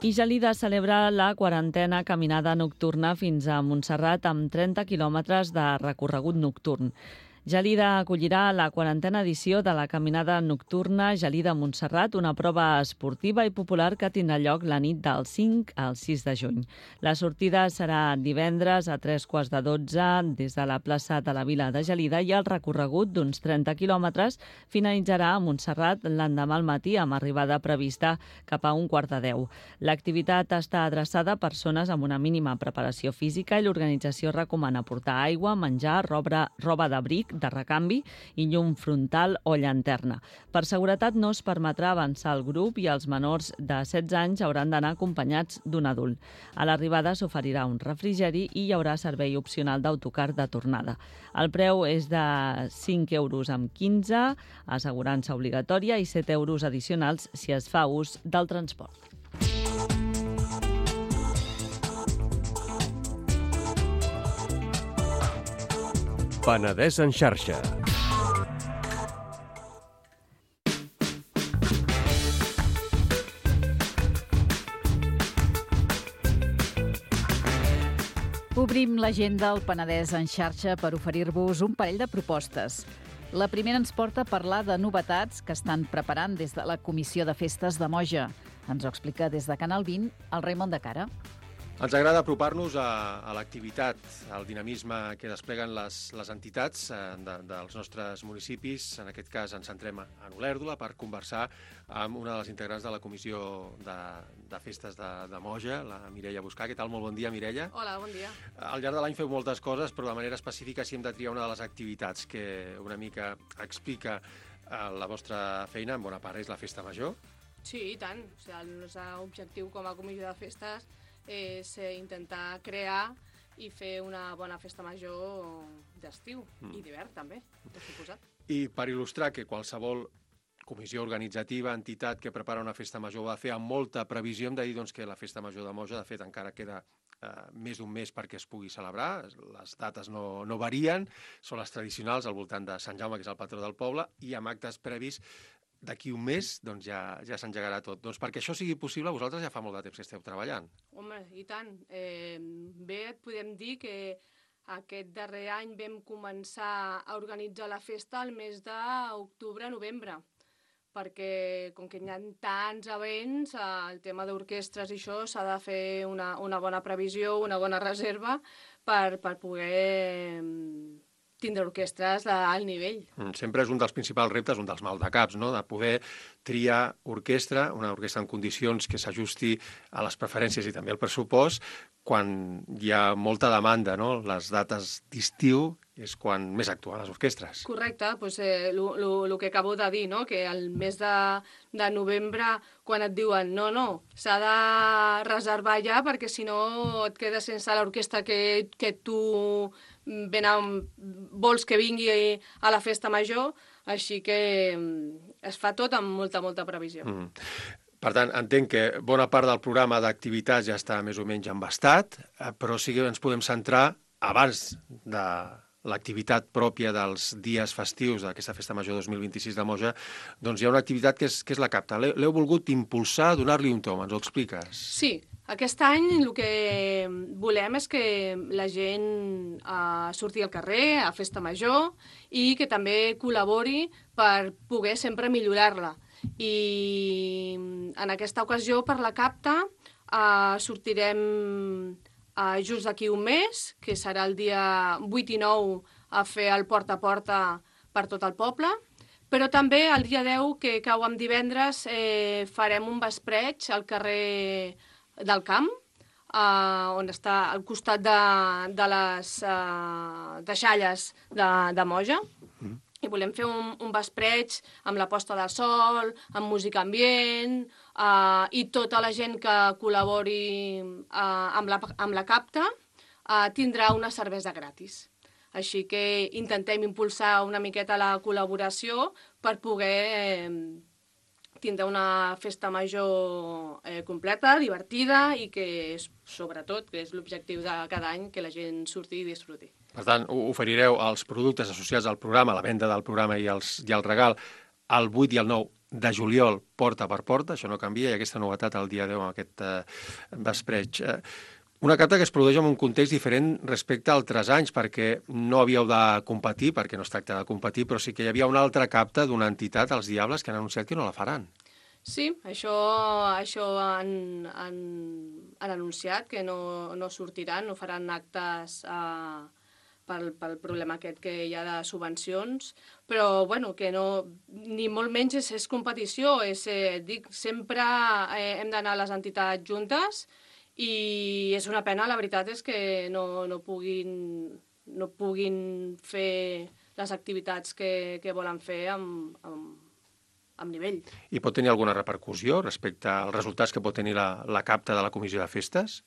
I Gelida celebra la quarantena caminada nocturna fins a Montserrat amb trenta quilòmetres de recorregut nocturn. Gelida acollirà la quarantena edició de la caminada nocturna Gelida-Montserrat, una prova esportiva i popular que tindrà lloc la nit del cinc al sis de juny. La sortida serà divendres a tres quarts de dotze des de la plaça de la Vila de Gelida i el recorregut d'uns trenta quilòmetres finalitzarà a Montserrat l'endemà al matí amb arribada prevista cap a un quart de deu. L'activitat està adreçada a persones amb una mínima preparació física i l'organització recomana portar aigua, menjar, roba, roba d'abric, de recanvi i llum frontal o llanterna. Per seguretat no es permetrà avançar el grup i els menors de setze anys hauran d'anar acompanyats d'un adult. A l'arribada s'oferirà un refrigeri i hi haurà servei opcional d'autocar de tornada. El preu és de cinc euros amb quinze, assegurança obligatòria, i set euros addicionals si es fa ús del transport. Penedès en xarxa. Obrim l'agenda al Penedès en xarxa per oferir-vos un parell de propostes. La primera ens porta a parlar de novetats que estan preparant des de la Comissió de Festes de Moja. Ens ho explica des de Canal vint el Raimon de Cara. Ens agrada apropar-nos a, a l'activitat, al dinamisme que despleguen les, les entitats eh, de, dels nostres municipis. En aquest cas ens centrem en Olèrdola per conversar amb una de les integrants de la Comissió de, de Festes de, de Moja, la Mireia Buscà. Què tal? Molt bon dia, Mireia. Hola, bon dia. Al llarg de l'any feu moltes coses, però de manera específica si hem de triar una de les activitats que una mica explica eh, la vostra feina, en bona part és la Festa Major. Sí, i tant. O sigui, el nostre objectiu com a comissió de festes és eh, intentar crear i fer una bona festa major d'estiu mm. i d'hivern també, per suposat. I per il·lustrar que qualsevol comissió organitzativa, entitat que prepara una festa major va fer amb molta previsió, hem de dir doncs, que la festa major de Moja, de fet, encara queda eh, més d'un mes perquè es pugui celebrar, les dates no, no varien, són les tradicionals al voltant de Sant Jaume, que és el patró del poble, i amb actes previs d'aquí un mes doncs ja, ja s'engegarà tot. Doncs perquè això sigui possible, vosaltres ja fa molt de temps que esteu treballant. Home, i tant. Eh, bé, et podem dir que aquest darrer any vam començar a organitzar la festa al mes d'octubre-novembre, perquè com que hi ha tants events, el tema d'orquestres i això s'ha de fer una, una bona previsió, una bona reserva per, per poder tindre orquestres al nivell. Sempre és un dels principals reptes, un dels maldecaps, no?, de poder triar orquestra, una orquestra en condicions que s'ajusti a les preferències i també al pressupost, quan hi ha molta demanda, no? Les dates d'estiu és quan més actuen les orquestres. Correcte, doncs, eh, el que acabo de dir, no? Que el mes de, de novembre, quan et diuen no, no, s'ha de reservar ja perquè si no et quedes sense l'orquestra que, que tu ben amb, vols que vingui a la festa major, així que es fa tot amb molta, molta previsió. Mm. Per tant, entenc que bona part del programa d'activitats ja està més o menys embastat, però sí que ens podem centrar abans de l'activitat pròpia dels dies festius d'aquesta Festa Major dos mil vint-i-sis de Moja, doncs hi ha una activitat que és, que és la capta. L'heu volgut impulsar, donar-li un tom, ens ho expliques? Sí, aquest any el que volem és que la gent eh, surti al carrer a Festa Major i que també col·labori per poder sempre millorar-la. I en aquesta ocasió, per la capta, eh, sortirem eh, just d'aquí un mes, que serà el dia vuit i nou, a fer el porta a porta per tot el poble, però també el dia deu, que cau amb divendres, eh, farem un vespreig al carrer del Camp, eh, on està al costat de, de les eh, deixalles de, de Moja, mm. i volem fer un, un vespreig amb la posta de sol, amb música ambient, eh, i tota la gent que col·labori eh, amb, la, amb la capta eh, tindrà una cervesa gratis. Així que intentem impulsar una miqueta la col·laboració per poder eh, tindre una festa major eh, completa, divertida i que, sobretot, que és l'objectiu de cada any, que la gent surti i disfruti. Per tant, oferireu els productes associats al programa, la venda del programa i, els, i el regal, el vuit i el nou de juliol, porta per porta, això no canvia, i aquesta novetat el dia deu amb aquest eh, vespreig. Eh, una capta que es produeix en un context diferent respecte a altres anys, perquè no havíeu de competir, perquè no es tracta de competir, però sí que hi havia una altra capta d'una entitat, els Diables, que han anunciat que no la faran. Sí, això, això han, han, han anunciat que no, no sortiran, no faran actes eh, pel, pel problema aquest que hi ha de subvencions, però bueno, que no, ni molt menys és, és competició, és, eh, dic, sempre eh, hem d'anar a les entitats juntes i és una pena, la veritat és que no, no, puguin, no puguin fer les activitats que, que volen fer amb, amb, amb nivell. I pot tenir alguna repercussió respecte als resultats que pot tenir la, la capta de la Comissió de Festes?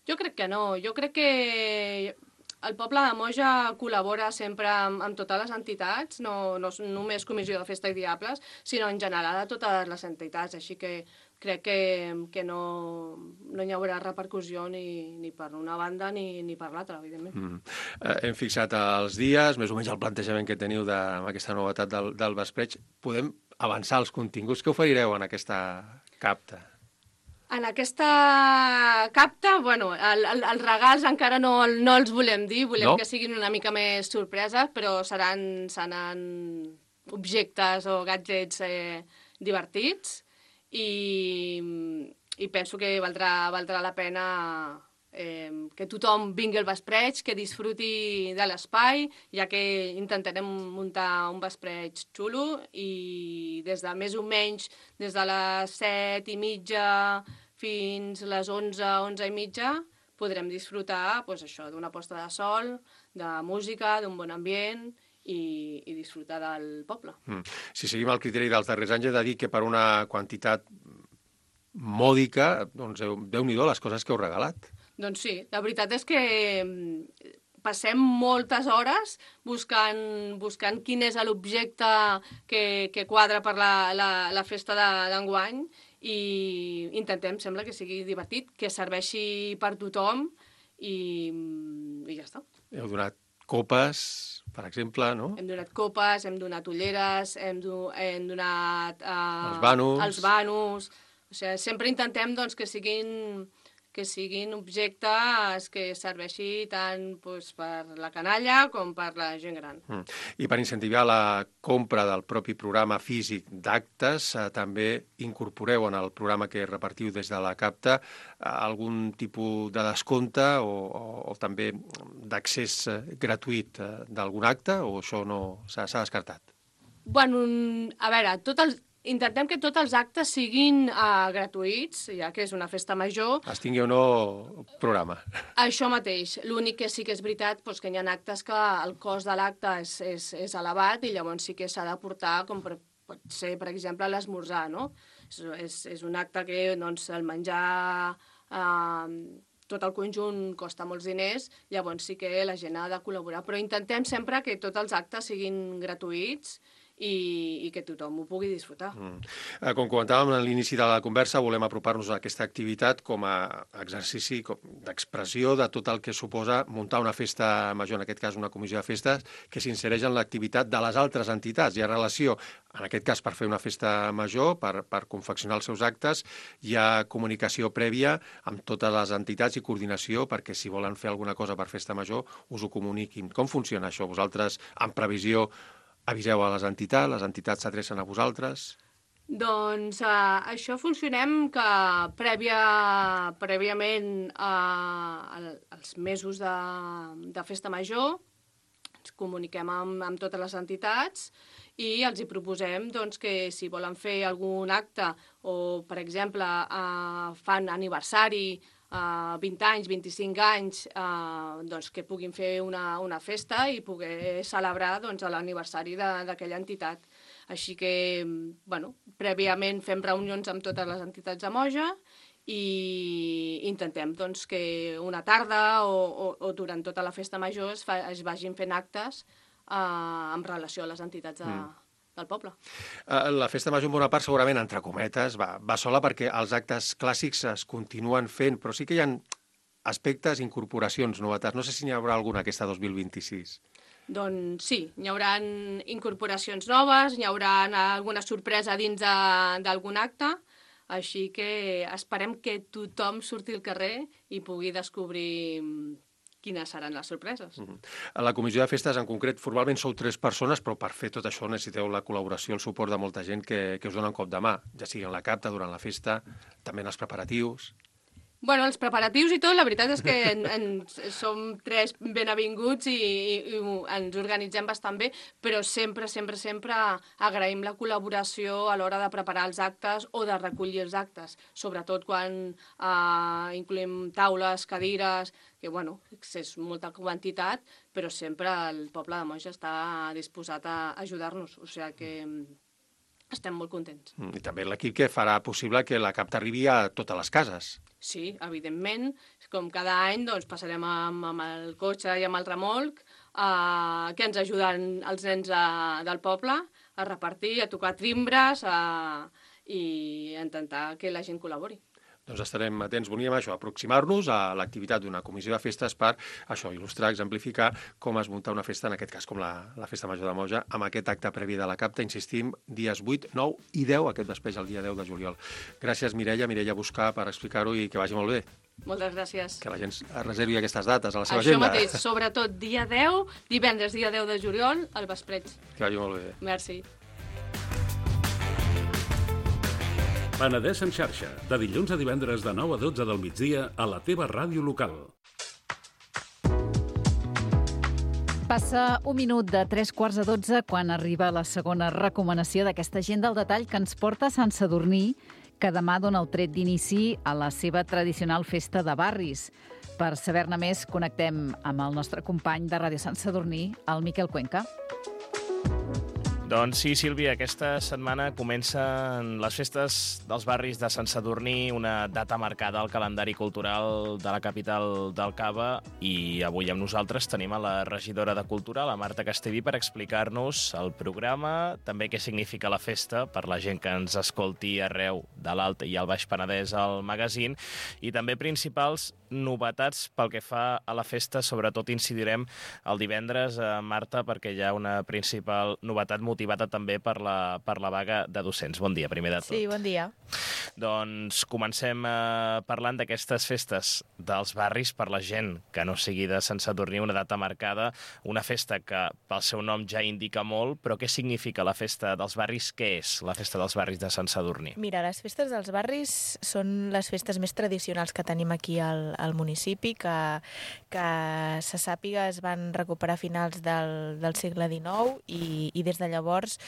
Jo crec que no. Jo crec que el poble de Moja col·labora sempre amb, amb totes les entitats, no, no només Comissió de Festa i Diables, sinó en general a totes les entitats, així que crec que, que no, no hi haurà repercussió ni, ni per una banda ni, ni per l'altra, evidentment. Mm. Eh, hem fixat els dies, més o menys el plantejament que teniu de, amb aquesta novetat del, del vespreig. Podem avançar els continguts que oferireu en aquesta capta? En aquesta capta, bueno, el, el, els regals encara no, no els volem dir, volem no? que siguin una mica més sorpreses, però seran, seran objectes o gadgets eh, divertits i, i penso que valdrà, valdrà la pena eh, que tothom vingui al vespreig, que disfruti de l'espai, ja que intentarem muntar un vespreig xulo i des de més o menys, des de les set i mitja fins les onze, onze i mitja, podrem disfrutar pues, això d'una posta de sol, de música, d'un bon ambient i, i disfrutar del poble. Mm. Si seguim el criteri dels darrers anys, he de dir que per una quantitat mòdica, doncs Déu-n'hi-do les coses que heu regalat. Doncs sí, la veritat és que passem moltes hores buscant, buscant quin és l'objecte que, que quadra per la, la, la festa d'enguany i intentem, sembla que sigui divertit, que serveixi per tothom i, i ja està. Heu donat copes, per exemple, no? Hem donat copes, hem donat ulleres, hem, do, hem donat uh, els banos. els banos. O sigui, sempre intentem doncs, que siguin que siguin objectes que serveixi tant doncs, per la canalla com per la gent gran. Mm. I per incentivar la compra del propi programa físic d'actes, eh, també incorporeu en el programa que repartiu des de la CAPTA eh, algun tipus de descompte o, o, o també d'accés eh, gratuït eh, d'algun acte, o això no s'ha descartat? Bueno, a veure, tot el... intentem que tots els actes siguin uh, gratuïts, ja que és una festa major. Es tingui o no programa. Això mateix. L'únic que sí que és veritat doncs, que hi ha actes que el cost de l'acte és, és, és elevat i llavors sí que s'ha de portar, com per, pot ser, per exemple, l'esmorzar, no? És, és, és un acte que doncs, el menjar... Uh, tot el conjunt costa molts diners, llavors sí que la gent ha de col·laborar. Però intentem sempre que tots els actes siguin gratuïts i, i que tothom ho pugui disfrutar. Mm. Com comentàvem a l'inici de la conversa, volem apropar-nos a aquesta activitat com a exercici d'expressió de tot el que suposa muntar una festa major, en aquest cas una comissió de festes, que s'insereix en l'activitat de les altres entitats. Hi ha relació, en aquest cas per fer una festa major, per, per confeccionar els seus actes, hi ha comunicació prèvia amb totes les entitats i coordinació perquè si volen fer alguna cosa per festa major us ho comuniquin. Com funciona això? Vosaltres, en previsió, aviseu a les entitats, les entitats s'adrecen a vosaltres? Doncs uh, això funcionem que prèvia, prèviament uh, als mesos de, de festa major ens comuniquem amb, amb totes les entitats i els hi proposem doncs, que si volen fer algun acte o, per exemple, uh, fan aniversari, Uh, vint anys, vint-i-cinc anys, uh, doncs que puguin fer una, una festa i poder celebrar doncs, l'aniversari d'aquella entitat. Així que, bueno, prèviament fem reunions amb totes les entitats de Moja i intentem doncs, que una tarda o, o, o durant tota la festa major es, fa, es vagin fent actes uh, en relació a les entitats de, mm. del poble. La festa major, en bona part, segurament, entre cometes, va, va sola perquè els actes clàssics es continuen fent, però sí que hi ha aspectes, incorporacions, novetats. No sé si n'hi haurà alguna aquesta dos mil vint-i-sis. Doncs sí, hi haurà incorporacions noves, hi haurà alguna sorpresa dins d'algun acte, així que esperem que tothom surti al carrer i pugui descobrir quines seran les sorpreses. Uh-huh. A la comissió de festes, en concret, formalment sou tres persones, però per fer tot això necessiteu la col·laboració, el suport de molta gent que, que us dona un cop de mà, ja sigui en la CAPTA, durant la festa, també en els preparatius. Bueno, els preparatius i tot, la veritat és que en, en, som tres ben avinguts i, i, i ens organitzem bastant bé, però sempre, sempre, sempre agraïm la col·laboració a l'hora de preparar els actes o de recollir els actes, sobretot quan eh, incloem taules, cadires, que bueno, és molta quantitat, però sempre el poble de Moja està disposat a ajudar-nos, o sigui que estem molt contents. I també l'equip que farà possible que la CAPTA arribi a totes les cases. Sí, evidentment. Com cada any doncs, passarem amb, amb el cotxe i amb el remolc eh, que ens ajuden els nens a, del poble a repartir, a tocar timbres a, i a intentar que la gent col·labori. Doncs estarem atents, volíem això, aproximar-nos a l'activitat d'una comissió de festes per això, il·lustrar, exemplificar com es munta una festa, en aquest cas com la, la Festa Major de Moja, amb aquest acte previ de la CAPTA, insistim, dies vuit, nou i deu, aquest vespre el dia deu de juliol. Gràcies, Mireia, Mireia Buscar, per explicar-ho i que vagi molt bé. Moltes gràcies. Que la gent reservi aquestes dates a la seva Això agenda. mateix, sobretot dia deu, divendres dia deu de juliol, al vespreig. Que vagi molt bé. Merci. Penedès en xarxa, de dilluns a divendres de nou a dotze del migdia a la teva ràdio local. Passa un minut de tres quarts de dotze quan arriba la segona recomanació d'aquesta agenda al detall que ens porta a Sant Sadurní, que demà dona el tret d'inici a la seva tradicional festa de barris. Per saber-ne més, connectem amb el nostre company de Ràdio Sant Sadurní, el Miquel Cuenca. Doncs sí, Sílvia, aquesta setmana comencen les festes dels barris de Sant Sadurní, una data marcada al calendari cultural de la capital del Cava, i avui amb nosaltres tenim a la regidora de Cultura, la Marta Castellví, per explicar-nos el programa, també què significa la festa per la gent que ens escolti arreu de l'Alt i el Baix Penedès al magazín, i també principals novetats pel que fa a la festa. Sobretot incidirem el divendres, eh, Marta, perquè hi ha una principal novetat motivada també per la, per la vaga de docents. Bon dia, primer de tot. Sí, bon dia. Doncs comencem eh, parlant d'aquestes festes dels barris per la gent que no sigui de Sant Sadurní, una data marcada, una festa que pel seu nom ja indica molt, però què significa la festa dels barris? Què és la festa dels barris de Sant Sadurní? Mira, les festes dels barris són les festes més tradicionals que tenim aquí al, al municipi, que, que se sàpiga es van recuperar a finals del, del segle dinou i, i des de llavors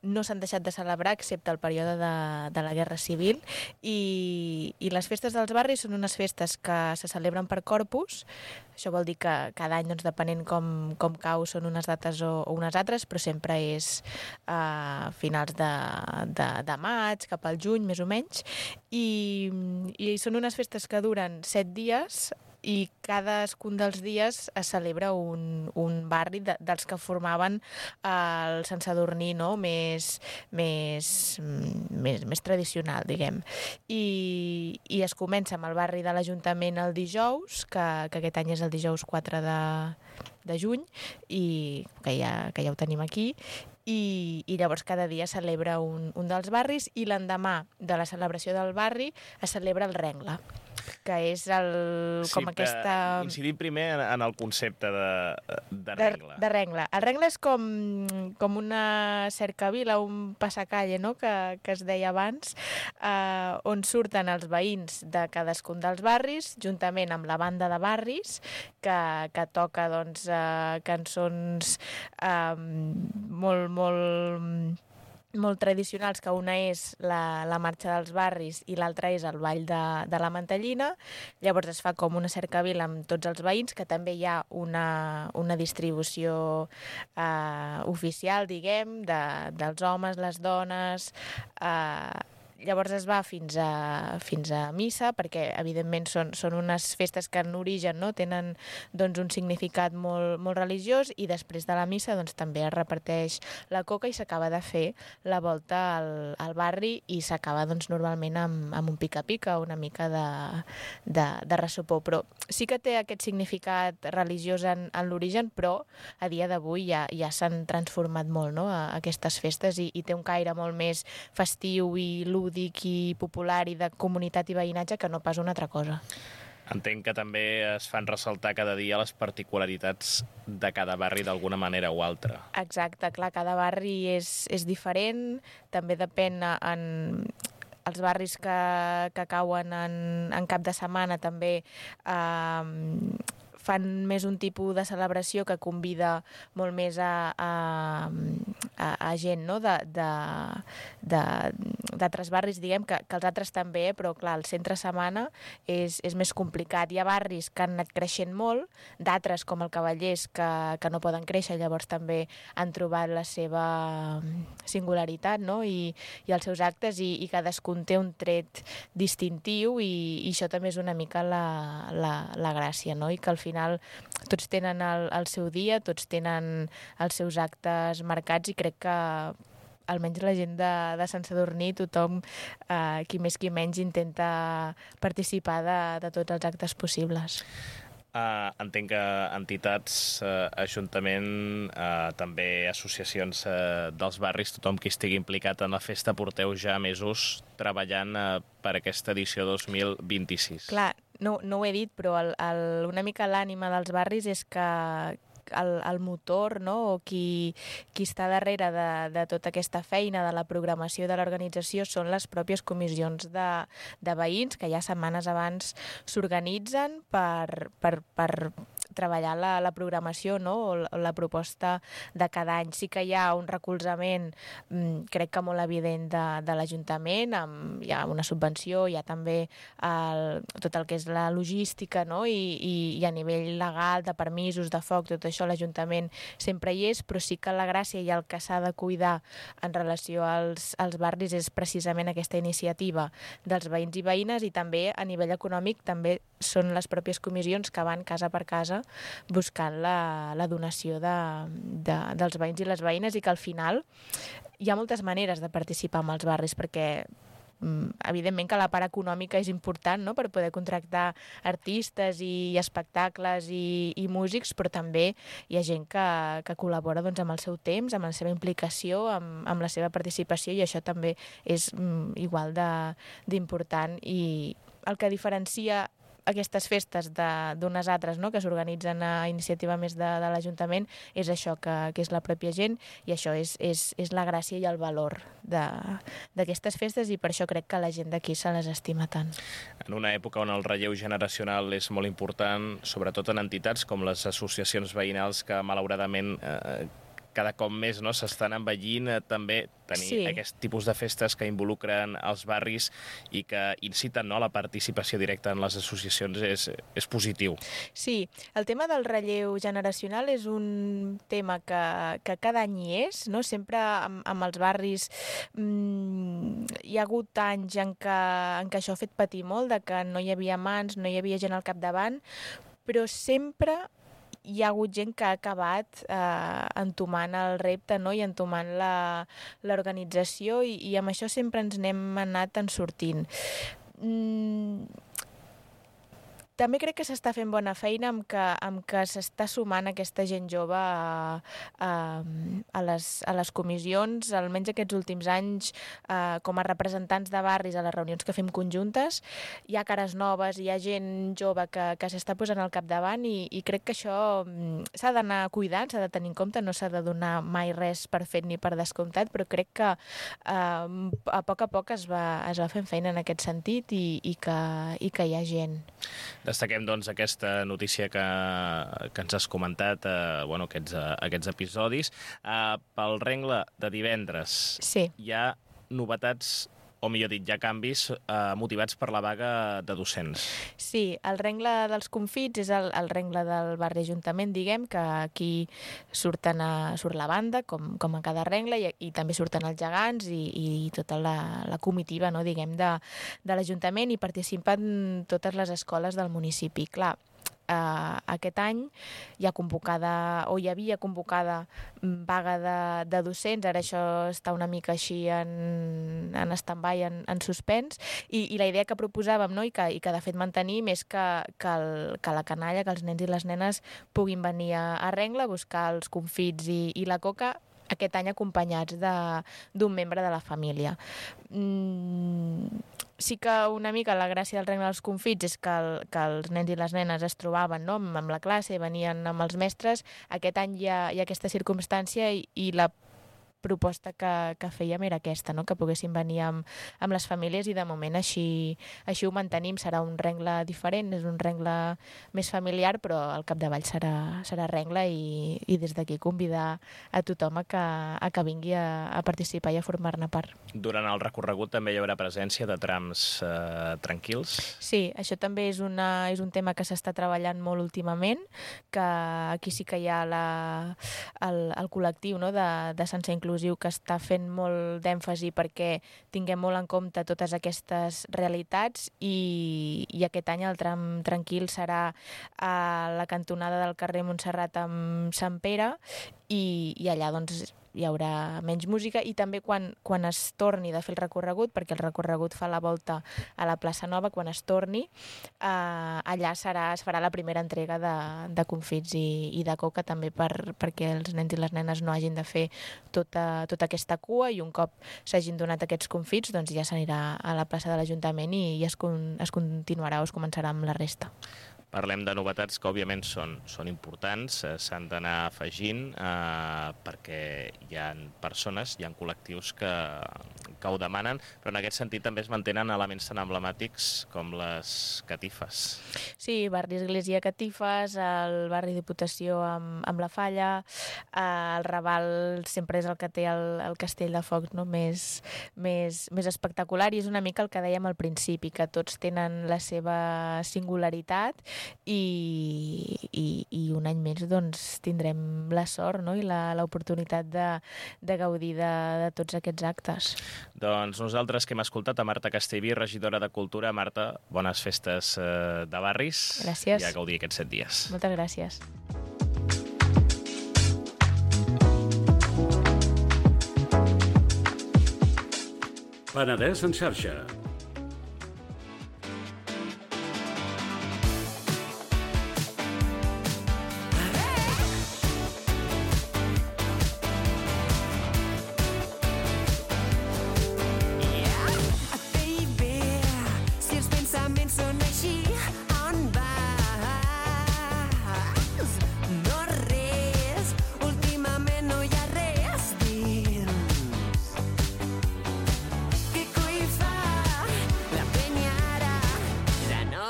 no s'han deixat de celebrar excepte el període de, de la Guerra Civil, i, i les festes dels barris són unes festes que se celebren per corpus. Això vol dir que cada any, doncs, depenent com, com cau, són unes dates o, o unes altres, però sempre és a finals de, de, de maig, cap al juny, més o menys, i, i són unes festes que duren set dies, i cadascun dels dies es celebra un, un barri de, dels que formaven el Sant Sadurní, no? més, més, més, més tradicional, diguem. I, i es comença amb el barri de l'Ajuntament el dijous, que, que aquest any és el dijous quatre de, de juny, i que ja, que ja ho tenim aquí, i, i llavors cada dia celebra un, un dels barris, i l'endemà de la celebració del barri es celebra el Rengla, que és el, sí, com aquesta... Incidim primer en, en el concepte de, de Rengla. De, de Rengla. El Rengla és com, com una cercavila, un passacalle, no?, que, que es deia abans, eh, on surten els veïns de cadascun dels barris, juntament amb la banda de barris, que, que toca, doncs, eh, cançons eh, molt, molt... molt tradicionals, que una és la, la marxa dels barris i l'altra és el ball de, de la mantellina. Llavors es fa com una cercavila amb tots els veïns, que també hi ha una, una distribució eh, oficial, diguem, de, dels homes, les dones... Eh, Llavors es va fins a, fins a missa, perquè evidentment són, són unes festes que en origen, no?, tenen, doncs, un significat molt, molt religiós, i després de la missa, doncs, també es reparteix la coca i s'acaba de fer la volta al, al barri, i s'acaba, doncs, normalment amb, amb un pica-pica, una mica de, de, de ressopó. Però sí que té aquest significat religiós en, en l'origen, però a dia d'avui ja, ja s'han transformat molt, no?, a, a aquestes festes, i, i té un caire molt més festiu i lúdic i popular i de comunitat i veïnatge que no pas una altra cosa. Entenc que també es fan ressaltar cada dia les particularitats de cada barri d'alguna manera o altra. Exacte, clar, cada barri és, és diferent, també depèn en... els barris que, que cauen en, en cap de setmana també eh, fan més un tipus de celebració que convida molt més a, a, a, a gent, no?, de, de, de, d'altres barris, diguem, que, que els altres també, però clar, el centre setmana és, és més complicat. Hi ha barris que han anat creixent molt, d'altres, com el Cavallers, que, que no poden créixer, llavors també han trobat la seva singularitat, no?, i, i els seus actes, i, i cadascun té un tret distintiu, i, i això també és una mica la, la, la gràcia, no?, i que al final tots tenen el, el seu dia, tots tenen els seus actes marcats, i crec que almenys la gent de, de Sant Sadurní, tothom, eh, qui més qui menys, intenta participar de, de tots els actes possibles. Uh, entenc que entitats, uh, Ajuntament, uh, també associacions uh, dels barris, tothom qui estigui implicat en la festa, porteu ja mesos treballant uh, per aquesta edició dos mil vint-i-sis. Clar, no, no ho he dit, però el, el, una mica l'ànima dels barris és que el, el motor, no? O qui, qui està darrere de, de tota aquesta feina, de la programació de l'organització, són les pròpies comissions de, de veïns que ja setmanes abans s'organitzen per, per, per treballar la, la programació, no? O la, la proposta de cada any. Sí que hi ha un recolzament, crec que molt evident de, de l'Ajuntament, amb, hi ha una subvenció, hi ha també el, tot el que és la logística, no? I, i, i a nivell legal, de permisos, de foc, tot això l'Ajuntament sempre hi és, però sí que la gràcia i el que s'ha de cuidar en relació als, als barris és precisament aquesta iniciativa dels veïns i veïnes, i també a nivell econòmic també són les pròpies comissions que van casa per casa buscant la, la donació de, de, dels veïns i les veïnes, i que al final hi ha moltes maneres de participar en els barris, perquè evidentment que la part econòmica és important, no?, per poder contractar artistes i espectacles i, i músics, però també hi ha gent que, que col·labora doncs, amb el seu temps, amb la seva implicació, amb, amb la seva participació, i això també és mm, igual d'important. I el que diferencia aquestes festes d'unes altres, no?, que s'organitzen a iniciativa més de, de l'Ajuntament, és això, que, que és la pròpia gent, i això és, és, és la gràcia i el valor d'aquestes festes, i per això crec que la gent d'aquí se les estima tant. En una època on el relleu generacional és molt important, sobretot en entitats com les associacions veïnals, que malauradament eh, cada cop més no, s'estan envellint, eh, també tenir sí. aquest tipus de festes que involucren els barris i que inciten no, a la participació directa en les associacions és, és positiu. Sí, el tema del relleu generacional és un tema que, que cada any hi és, no? Sempre amb, amb els barris mmm, hi ha hagut anys en què, en què això ha fet patir molt, de que no hi havia mans, no hi havia gent al capdavant, però sempre hi ha hagut gent que ha acabat eh, entomant el repte, no?, i entomant l'organització, i, i amb això sempre ens n'hem anat en sortint. Mm, també crec que s'està fent bona feina amb que, amb que s'està sumant aquesta gent jove a, a, a, les, a les comissions, almenys aquests últims anys, eh, com a representants de barris a les reunions que fem conjuntes. Hi ha cares noves, hi ha gent jove que, que s'està posant al capdavant, i, i crec que això s'ha d'anar cuidant, s'ha de tenir en compte, no s'ha de donar mai res per fet ni per descomptat, però crec que eh, a poc a poc es va, es va fent feina en aquest sentit, i, i, que, i que hi ha gent. Destaquem, doncs, aquesta notícia que, que ens has comentat, eh, bueno, aquests, eh, aquests episodis. Eh, pel rengle de divendres sí. hi ha novetats, o millor dit, hi ha canvis eh, motivats per la vaga de docents. Sí, el rengle dels confits és el, el rengle del barri Ajuntament, diguem, que aquí surten a, surt la banda, com, com a cada rengle, i, i també surten els gegants i, i tota la, la comitiva, no, diguem, de, de l'Ajuntament, i participen totes les escoles del municipi. Clar, Uh, aquest any hi ha convocada, o hi havia convocada vaga de, de docents, ara això està una mica així en, en stand-by, en, en suspens, i, i la idea que proposàvem, no? I, que, i que de fet mantenim, és que, que, el, que la canalla, que els nens i les nenes puguin venir a, a rengle a buscar els confits i, i la coca, aquest any acompanyats d'un membre de la família. Mm, sí que una mica la gràcia del rengle dels confits és que, el, que els nens i les nenes es trobaven, no?, amb la classe, venien amb els mestres. Aquest any hi ha, hi ha aquesta circumstància, i, i la proposta que, que fèiem era aquesta, no?, que poguessin venir amb, amb les famílies, i de moment així, així ho mantenim. Serà un rengle diferent, és un rengle més familiar, però al capdavall serà, serà rengle, i, i des d'aquí convidar a tothom a que, a que vingui a, a participar i a formar-ne part. Durant el recorregut també hi haurà presència de trams eh, tranquils? Sí, això també és, una, és un tema que s'està treballant molt últimament, que aquí sí que hi ha la, el, el col·lectiu, no?, de, de Sense Inclusiu, que està fent molt d'èmfasi perquè tinguem molt en compte totes aquestes realitats, i, i aquest any el tram tranquil serà a la cantonada del carrer Montserrat amb Sant Pere, i, i allà doncs hi haurà menys música, i també quan, quan es torni de fer el recorregut, perquè el recorregut fa la volta a la plaça Nova, quan es torni, eh, allà serà, es farà la primera entrega de, de confits i, i de coca, també per, perquè els nens i les nenes no hagin de fer tota, tota aquesta cua, i un cop s'hagin donat aquests confits, doncs ja s'anirà a la plaça de l'Ajuntament, i, i es, con, es continuarà o es començarà amb la resta. parlem de novetats que, òbviament, són, són importants, eh, s'han d'anar afegint eh, perquè hi ha persones, hi ha col·lectius que, que ho demanen, però en aquest sentit també es mantenen elements tan emblemàtics com les catifes. Sí, barri Església Catifes, el barri Diputació amb, amb la Falla, eh, el Raval sempre és el que té el, el castell de focs, no? més, més, més espectacular, i és una mica el que dèiem al principi, que tots tenen la seva singularitat i, i, i un any més doncs, tindrem la sort, no? I l'oportunitat de, de gaudir de, de tots aquests actes. Doncs nosaltres que hem escoltat a Marta Castellví, regidora de Cultura. Marta, bones festes eh, de barris. Gràcies. I a gaudir aquests set dies. Moltes gràcies. Penedès en xarxa.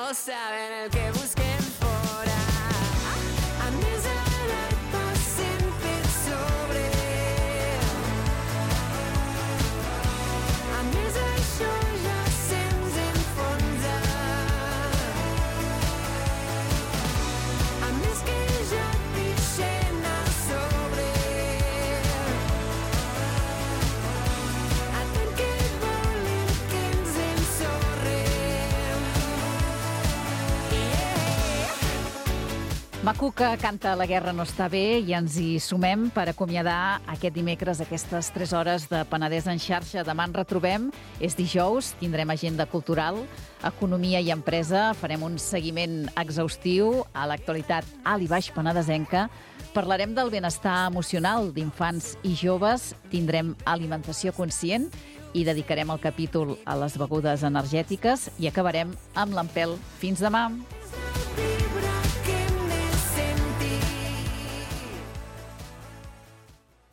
Saben el que busquen fora. A més alerta sempre sobre. A més això ja se'ns enfonsa. A més que ja pixen a sobre. Atent que volen que ens ensorrem. Maco que canta La guerra no està bé, i ens hi sumem per acomiadar aquest dimecres aquestes tres hores de Penedès en xarxa. Demà ens retrobem, és dijous, tindrem agenda cultural, economia i empresa, farem un seguiment exhaustiu a l'actualitat alt i baix penedesenca, parlarem del benestar emocional d'infants i joves, tindrem alimentació conscient i dedicarem el capítol a les begudes energètiques i acabarem amb l'Empel. Fins demà!